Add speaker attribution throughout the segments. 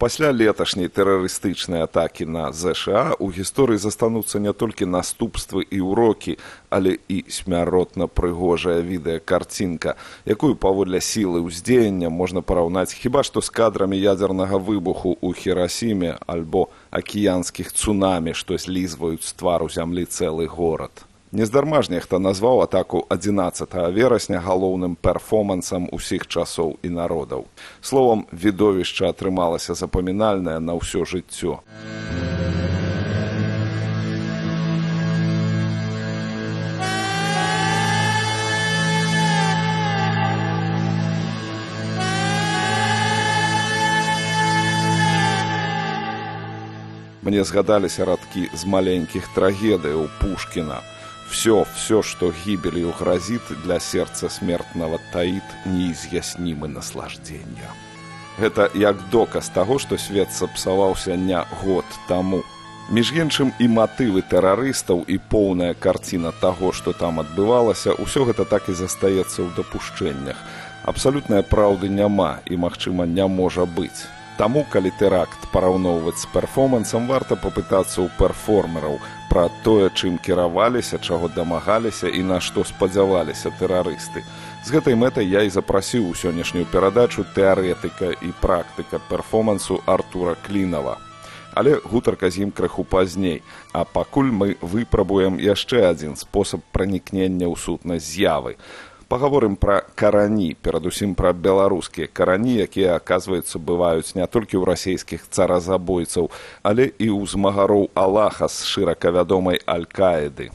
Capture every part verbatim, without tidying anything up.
Speaker 1: Пасля леташняй тэрарыстычнай атакі на ЗША у гісторыі застануцца не толькі наступствы і ўрокі, але і смяротна прыгожая відэакарцінка, якую паводле сілы ўздзеяння можна параўнаць хіба што з кадрамі ядзернага выбуху ў Хірасіме альбо акіянскіх цунамі, што злізваюць з твару зямлі цэлы горад. Нездарма ж нехта назваў атаку адзінаццатага верасня галоўным перформансам усіх часоў і народаў. Словам, відовішча атрымалася запамінальнае на ўсё жыццё. Мне згадаліся радкі з маленькіх трагедыяў Пушкіна. Все, все, что гибелью грозит, для сердца смертного таит неизъяснимы наслаждения. Гэта як доказ таго, што свет сапсаваўся не год таму. Між іншым і матывы тэрарыстаў, і поўная карціна таго, што там адбывалася, усё гэта так і застаецца ў дапушчэннях. Абсалютнай праўды няма і, магчыма, не можа быць. Таму, калі тэракт параўноўваць з перформансам, варта папытацца ў перформераў пра тое, чым кіраваліся, чаго дамагаліся і на што спадзяваліся тэрарысты. З гэтай мэтай я і запрасіў у сённяшнюю перадачу тэарэтыка і практыка перформансу Артура Клінава. Але гутарка з ім крыху пазней, а пакуль мы выпрабуем яшчэ адзін спосаб пранікнення ў сутнасць з'явы. Пагаворым пра карані, перадусім пра беларускія карані, якія, аказваецца, бываюць не толькі ў расійскіх царазабойцаў, але і ў змагароў Аллаха з шырака вядомай Аль-Каіды.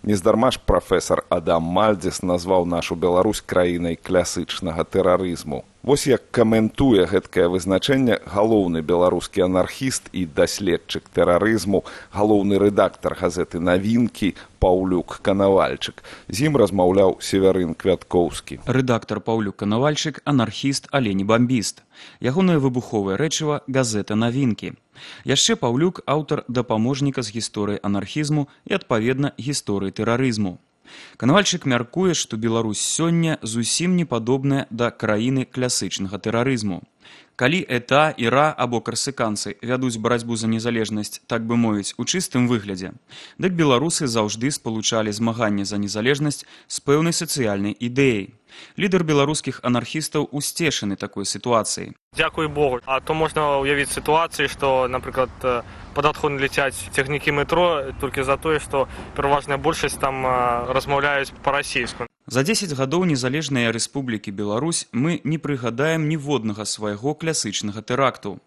Speaker 1: Нездарма ж прафесар Адам Мальдзіс назваў нашу Беларусь краінай класычнага тэрарызму. Вось як каментуе гэткае вызначэнне галоўны беларускі анархіст і даследчык тэрарызму, галоўны рэдактар газеты «Навінкі» Паўлюк Канавальчык. З ім размаўляў Северын Квяткоўскі.
Speaker 2: Рэдактар Паўлюк Канавальчык – анархіст, але не бамбіст. Ягонае выбуховае рэчыва – газета «Навінкі». Яшчэ Паўлюк – аўтар дапаможніка з гісторыі анархізму і, адпаведна, гісторыі тэрарызму. Канавальчык мяркуе, што Беларусь сёння зусім не падобная да краіны класычнага тэрарызму. Калі ЭТА, ІРА або карсыканцы вядуць барацьбу за незалежнасць, так бы мовіць, у чыстым выглядзе, дык беларусы заўжды спалучалі змаганне за незалежнасць з пэўнай сацыяльнай ідэяй. Лідар беларускіх анархістаў усцешаны такой сітуацыяй.
Speaker 3: Дзякуй Богу. А то можна ўявіць сітуацыі, што, напрыклад, пад адхон ляцяць цягнікі метро толькі за тое, што пераважная большасць там размаўляюць па-расейску.
Speaker 2: За дзесяць гадоў незалежнай рэспублікі Беларусь мы не прыгадаем ніводнага свайго класычнага тэракту.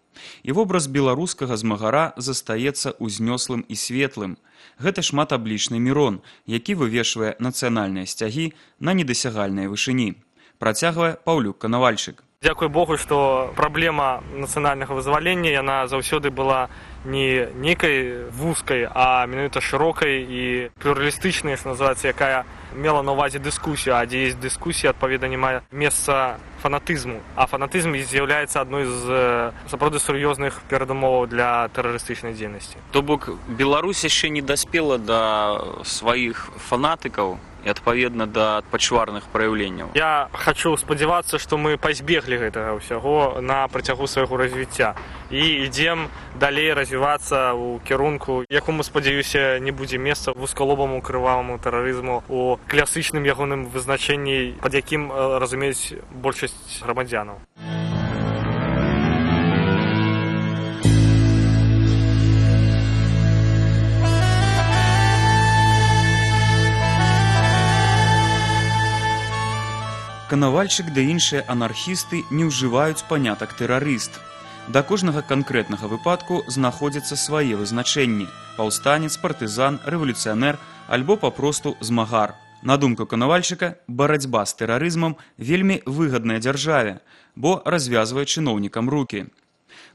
Speaker 2: І вобраз беларускага змагара застаецца ўзнёслым і светлым. Гэта шматаблічны Мірон, які вывешвае нацыянальныя сцягі на недасягальнай вышыні. Працягвае Паўлюк Канавальчык.
Speaker 3: Дзякуй Богу, што праблема нацыянальнага вызвалення, яна заўсёды была не нейкай вузкай, а менавіта шырокай і плюралістычнай, што называецца, якая мела на ўвазе дыскусію, а дзе ёсць дыскусія, адпаведна, не мае месца фанатызму. А фанатызм з'яўляецца адной з сапраўды сур'ёзных перадумоваў для тэрарыстычнай дзейнасці.
Speaker 4: То бок, Беларусь яшчэ не даспела да сваіх фанатыкаў і, адпаведна, да пачварных праяўленняў.
Speaker 3: Я хачу спадзявацца, што мы пазбеглі гэтага ўсяго на працягу свайго развіцця і ідзем далей развівацца ў кірунку, якому, спадзяюся, не будзе месца вузкалобаму крываваму тэрарызму у класычным ягоным вызначэнні, пад якім разумеюць большасць грамадзянаў.
Speaker 2: Канавальчык ды іншыя анархісты не ўжываюць панятак тэрарыст. Да кожнага канкрэтнага выпадку знаходзяцца свае вызначэнні – паўстанец, партызан, рэвалюцыянер альбо папросту змагар. На думку Канавальчыка, барацьба з тэрарызмам вельмі выгадная дзяржаве, бо развязвае чыноўнікам рукі.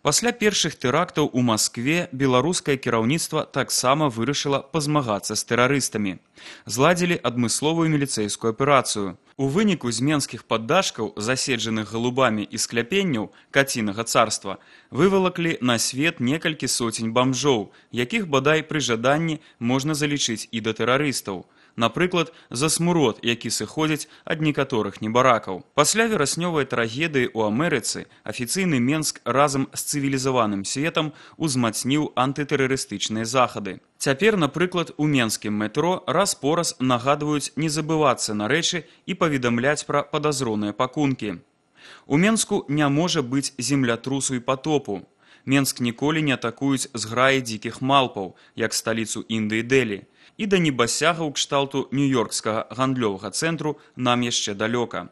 Speaker 2: Пасля першых тэрактаў у Маскве беларускае кіраўніцтва таксама вырашыла пазмагацца з тэрарыстамі. Зладзілі адмысловую міліцэйскую аперацыю. У выніку з менскіх паддашкаў, заседжаных галубамі і скляпенняў кацінага царства, вывалаклі на свет некалькі соцень бамжоў, якіх бадай пры жаданні можна залічыць і да тэрарыстаў. Напрыклад, за смурод, які сыходзіць ад некаторых небаракаў. Пасля вераснёвай трагедыі ў Амерыцы афіцыйны Менск разам з цывілізаваным светам узмацніў антытэрарыстычныя захады. Цяпер, напрыклад, у менскім метро раз-пораз нагадваюць не забывацца на рэчы і паведамляць пра падазроныя пакункі. У Менску не можа быць землятрусу і патопу. Менск ніколі не атакуюць зграі дзікіх малпаў, як сталіцу Індыі Дэлі. І да небасягаў кшталту нью-йоркскага гандлёвага цэнтру нам яшчэ далёка.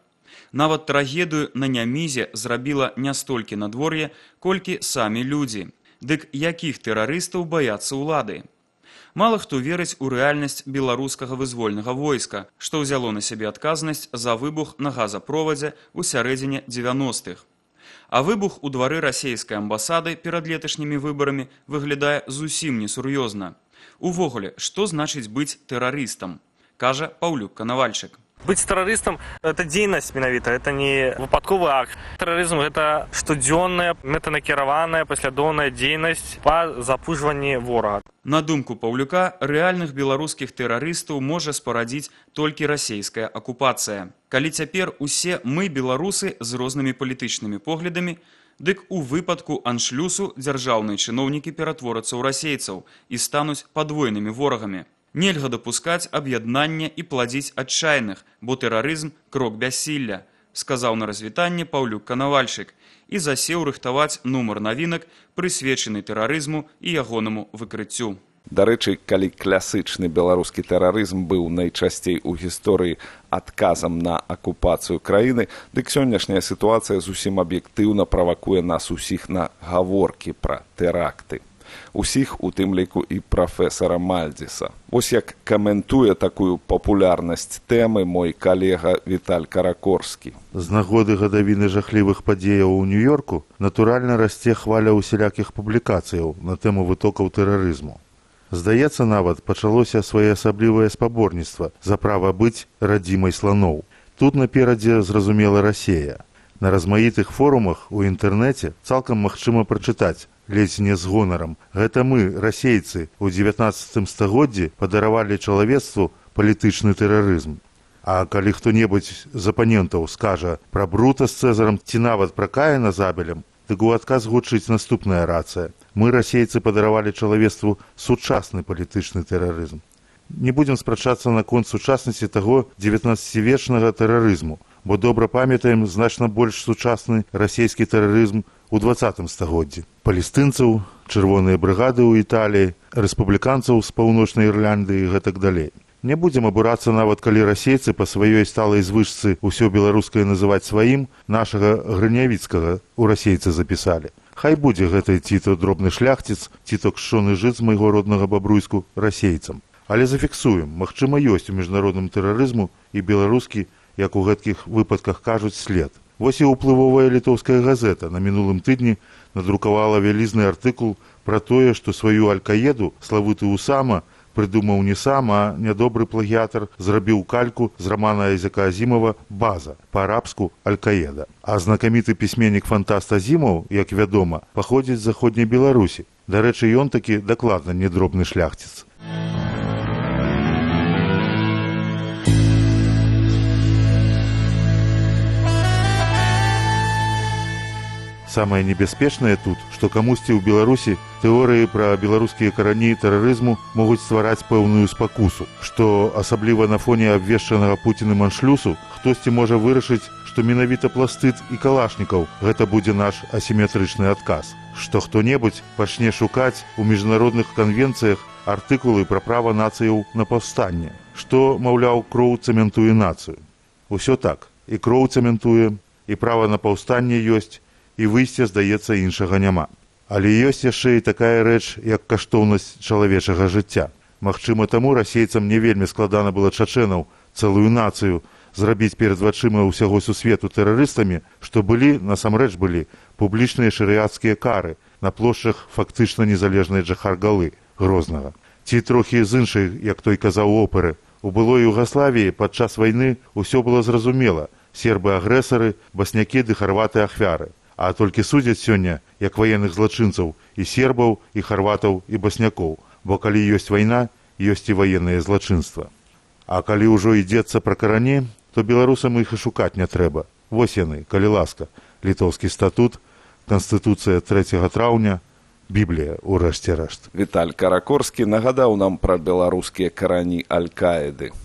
Speaker 2: Нават трагедыю на Нямізе зрабіла не столькі надвор'е, колькі самі людзі. Дык якіх тэрарыстаў баяцца ўлады? Мала хто верыць у рэальнасць беларускага вызвольнага войска, што ўзяло на сябе адказнасць за выбух на газаправодзе ў сярэдзіне дзевяностых. А выбух у двары расейскай амбасады перад леташнімі выбарамі выглядае зусім несур'ёзна. Увогуле, што значыць быць тэрарыстам, кажа Паўлюк Канавальчык.
Speaker 3: Быть террористом – это дзейнасць менавіта, это не выпадковы акт. Тэрарызм – это штодзённая, мэтанакіраваная, паслядоўная дзейнасць па запужванні ворага.
Speaker 2: На думку Паўлюка, рэальных беларускіх тэрарыстаў можа спарадзіць толькі расейская акупацыя. Калі цяпер усе мы, беларусы, з рознымі палітычнымі поглядамі, дык у выпадку аншлюсу дзяржаўныя чыноўнікі ператворацца ў расейцаў і стануць падвойнымі ворагамі. Нельга дапускаць аб'яднання і пладзіць адчайных, бо тэрарызм – крок бяссілля, сказаў на развітанне Паўлюк Канавальчык і засеў рыхтаваць нумар навінак, прысвечаны тэрарызму і ягонаму выкрыццю.
Speaker 1: Дарэчы, калі класычны беларускі тэрарызм быў найчасцей у гісторыі адказам на акупацыю краіны, дык сённяшняя сітуацыя зусім аб'ектыўна правакуе нас усіх на гаворкі пра тэракты. Усіх, у тым ліку і прафесара Мальдзіса. Вось як каментуе такую папулярнасць тэмы мой калега Віталь Каракорскі.
Speaker 5: З нагоды гадавіны жахлівых падзеяў у Нью-Йорку натуральна расце хваля усялякіх публікацыяў на тэму вытокаў тэрарызму. Здаецца, нават пачалося своеасаблівае спаборніцтва за права быць радзімай сланоў. Тут наперадзе зразумела Расея. На размаітых форумах у інтэрнэце цалкам магчыма прачытаць, ледзь не з гонарам. Гэта мы, расейцы, у дзевятнаццатым стагоддзі падаравалі чалавецтву палітычны тэрарызм. А калі хто-небудзь з апанентаў скажа пра Брута з Цэзарам ці нават пра Каіна з Абелем, дык у адказ гучыць наступная рацыя. Мы, расейцы, падаравалі чалавецтву сучасны палітычны тэрарызм. Не будзем спрачацца наконт сучаснасці таго дзевятнаццацівечнага тэрарызму, бо добра памятаем значна больш сучасны расійскі тэрарызм у дваццатым стагоддзі. Палестынцаў, чырвоныя брыгады ў Італіі, рэспубліканцаў з паўночнай Ірландыі і гэтак далей. Не будзем абурацца нават калі расейцы па сваёй сталай звычцы ўсё беларускае называць сваім, нашага Грынявіцкага ў расейцы запісалі. Хай будзе гэты ці то дробны шляхціц, ці то кшчоны жыт з майго роднага Бабруйску расейцам. Але зафіксуем, магчыма, ёсць у міжнародным тэрарызму і беларускі, як у гэткіх выпадках кажуць, след. Вось і ўплывовая літоўская газета на мінулым тыдні надрукавала вялізны артыкул пра тое, што сваю Аль-Каеду славуты Усама прыдумаў не сам, а нядобры плагіятар зрабіў кальку з рамана Айзека Азімова «База», па-арабску «Аль-Каеда». А знакаміты пісьменнік-фантаст Азімаў, як вядома, паходзіць з заходняй Беларусі. Дарэчы, ён такі дакладна не дробны шляхціц. Самае небяспечнае тут, што камусьці ў Беларусі тэорыі пра беларускія карані тэрарызму могуць ствараць пэўную спакусу, што асабліва на фоне абвешчанага Пуцінам аншлюсу хтосьці можа вырашыць, што менавіта пластыд і калашнікаў гэта будзе наш асіметрычны адказ, што хто-небудзь пачне шукаць у міжнародных канвенцыях артыкулы пра права нацыяў на паўстанне, што, маўляў, кроў цэментуе нацыю. Усё так, і кроў цэментуе, і права на паўстанне ёсць, і выйсця, здаецца, іншага няма. Але ёсць яшчэ і такая рэч, як каштоўнасць чалавечага жыцця. Магчыма, таму расейцам не вельмі складана было чачэнаў, цэлую нацыю, зрабіць перад вачыма ўсяго сусвету тэрарыстамі, што былі, насамрэч былі, публічныя шарыяцкія кары на плошчах фактычна незалежнай Джахар-Галы, Грознага. Ці трохі з іншай, як той казаў оперы, у былой Югаславіі падчас вайны ўсё было зразумела. Сербы-агрэсары, баснякі ды харваты ахвяры. А толькі судзяць сёння, як ваенных злачынцаў, і сербаў, і харватаў, і баснякоў, бо калі ёсць вайна, ёсць і ваеннае злачынства. А калі ўжо ідзецца пра карані, то беларусам іх і шукаць не трэба. Вось яны, калі ласка, літоўскі статут, Канстытуцыя трэцяга траўня, Біблія, у рэшце рэшт.
Speaker 1: Віталь Каракорскі нагадаў нам пра беларускія карані Аль-Каіды.